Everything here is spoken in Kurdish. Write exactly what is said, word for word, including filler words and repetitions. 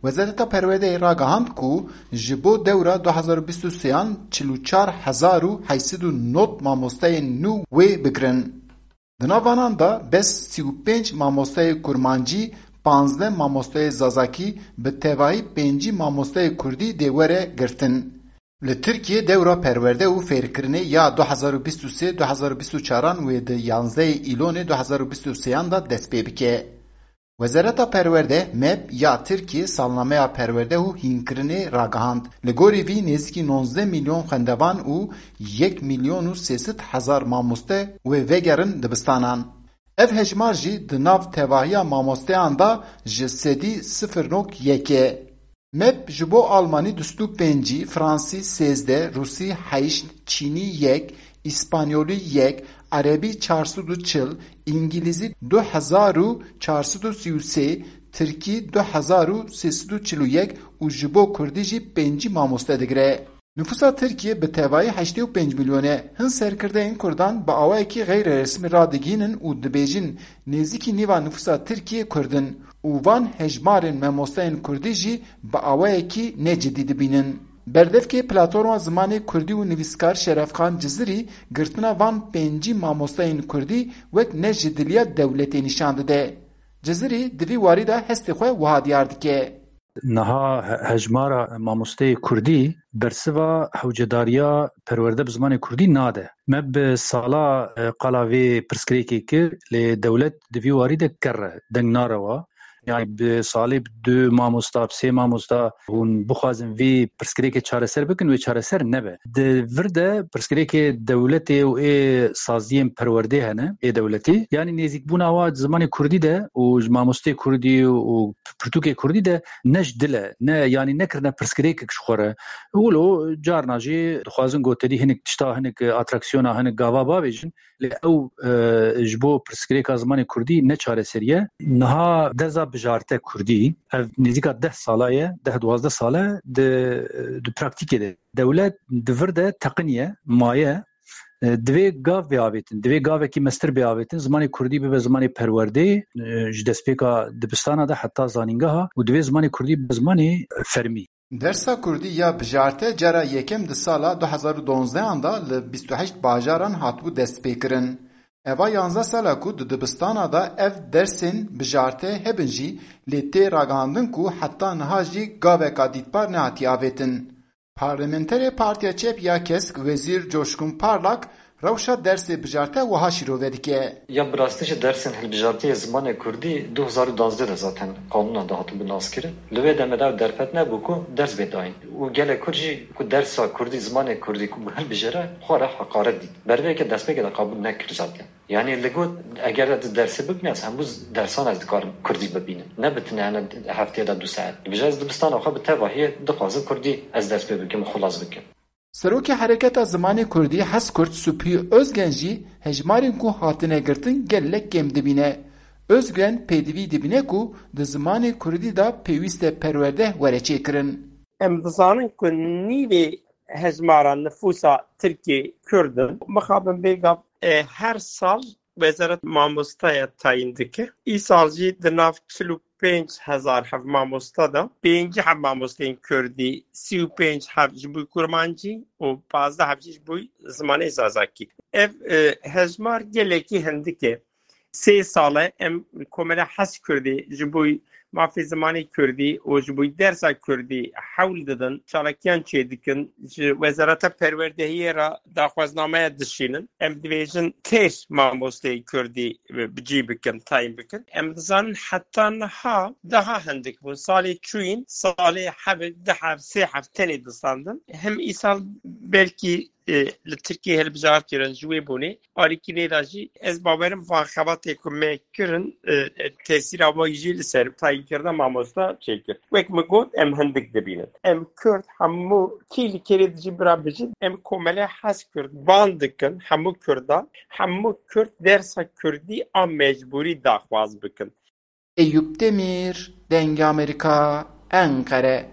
Wezareta Perwerdeyê ragihand ku ji bo dewra du hezar û bîst û sêyan çil û çar hezar û heyt sed û nod mamosteyên nû wê bigirin. Di nav vanan de bes sî û pênc mamosteyê kurmancî, panzdeh mamosteyê zazakî, bi tevahî pêncî mamosteyê kurdî dê were girtin. Li Tirkiyê dewra perwerde û fêrkirinê ya du hezar û bîst û sê du hezar û bîst û çaran wê di yanzdehê Îlonê du hezar û bîst û sêyan de dest pê bike. Wezareta Perwerde, meb, ya Tirkiyê salnameya perwerde û hînkirinê ragihand. Li gorî vî nêzîkî nonzdeh milyon xwendevan û yek milyon û sê sed hezar mamoste wê vegerin dibistanan. Ev hejmar jî di nav tevahiya mamosteyan de ji sedî sifir nok yek e. Meb ji bo Almanî du sed û pêncî, Fransî sêzdeh, Rûsî heşt, Çînî yek, Îspanyolî yek, Erebî çar sed û çil, Îngilîzî du hezar û çar sed û sî û sê, Tirkî du hezar û sê sed û çil û yek û ji bo Kurdî jî pêncî mamoste digire. Nifûsa Tirkiyê bi tevayî heştê û pênc milyon e. Hin serkirdeyên Kurdan bi awayekî xeyreresmî radigihînin û dibêjin nêzîkî nîva nifûsa Tirkiyê Kurd in û van hejmarên mamosteyên Kurdî jî bi awayekî necidî dibînin. Berdevkê Platforma Zimanê Kurdî û Nivîskar Şerefxan Cizirî girtina van pêncî mamosteyên Kurdî wek ne ji diliya dewletê nîşan dide. Cizirî di vî warî de hestê xwe wiha diyar dike. Niha he-, hejmara mamosteyê kurdî bersiva hewcedariya perwerde bi zimanê kurdî nade. Me bi sala, e, qala vê pirsgirêkê kir, lê dewlet di vî warî de kerr e, deng narewa. Yani bi salê bi du mamosta, bi sê mamosta hûn bixwazin vê pirsgirêkê çareser bikin, wê çareser nebe. Di vir de pirsgirêkê dewletê û ê saziyên perwerdê hene, ê dewletî. Yani nêzîkbûna wa zimanê kurdî de û ji mamostê kurdî û pirtûkê kurdî de ne ji dil e, ne, yanî nekirine pirsgirêkek ji xwe re. Wilo carna jî dixwazin gotelî hinek tişta, hinek atraksiyona, hinek gava bavêjin, lê ew, e, ji bo pirsgirêka zimanê kurdî ne çareserî ye. Niha derza bijarte kurdî, ev nêzîka deh sala ye, deh duwazdeh sal e, di, di praktîkê de dewlet di vir de teqiniye, maye, e, divê gav bê avêtin, divê gavekî mestir bê avêtin, zimanê kurdî bibe zimanê perwerdê, e, ji destpêka dibistana de heta zanîngeha û divê zimanê kurdî bibe zimanê fermî. Dersa kurdî ya bijarte cara yekem di sala du hezar û donzdehan de li bîst û heşt bajaran hatibû destpêkirin. Eva yanzdeh sala ku di dibistana de ev dersên bijarte hebin jî, lê tê ragihandin ku heta niha jî gaveka dîtbar nehatiye avêtin. Parlamenterê Partiya Çep ya Kesk Wezîr Coşkun Parlak rewşa dersê bijarte wiha şîrove dike. Ya bi rastî jî dersên hilbijartiyê zimanê kurdî du hezar û duwazdeh de zaten qanûna de hatibû naskirin. Li wê demê de ew derfet nebû ku ders bê dayîn. Û gelek kurd jî ku dersa kurdî, zimanê kurdî ku hilbijêre, xwe re heqaret dît. Bervê yekê destpêkê de qebûl nekir zaten. Yani li got, eger ez di dersê bibînim, ez hemû z-, dersan ez dikarim kurdî bibînim. Ne bi tine hene hefteyê de du saet. Dibêje ez dibistana xwe bi tevahiyê dixwazim kurdî ez dest pê bikim û xilas bikim. Serokê Hereketa Zimanê Kurdî Hezkurt Supî Özgen jî hejmarên ku hatine girtin gelek kêm dibîne. Özgen pêdivî dibîne ku di zimanê kurdî de pêwîst e perwerde were çêkirin. Em dizanin ku nîvê hejmara nifûsa Tirkiyê Kurd in. Mixabin vê gav, e, her sal Wezareta Mamostaya tayîn dike. Îsal jî di nav çil û pênc hezar heb mamosta de, pêncî heb mamosteyên Kurdî, sî û pênc heb ji bo Kurmancî û pazdeh heb jî ji bo zimanê Zazakî. Ev, e, hejmar gelekî hindik e. Sê sal e em Komela Hez Kurdî ji bo mafê zimanê Kurdî û ji bo dersa Kurdî hewl didin, çalakiyan çêdikin, ji Wezareta Perwerdehiyê re daxwaznameya dişînin. Em dibêjin têr mamosteyê Kurdî bi cî bikin, tayîn bikin. Em dizanin heta niha daha hindik bûn. Salê çûyîn, salê hevê, du hev, sê hev tenê distandin. Hem îsal belkî e, li Tirkiyê hilbijartî kirin, ji wê bonê alîkî nêda jî ez bawerim van xebatê ku me kirin, e, e, tesîra wê jî li ser tayînkirina mamosta çêkir. Wek min got, em hindik dibînin. Em Kurd hemû kî li kêrê dijî bira bijîn, em Komele Hez Kurd ban dikin hemû Kurdan, hemû Kurd dersa Kurdî a mecbûrî daxwaz bikin. Eyûp Demîr, Dengê Amerîka, Enqere.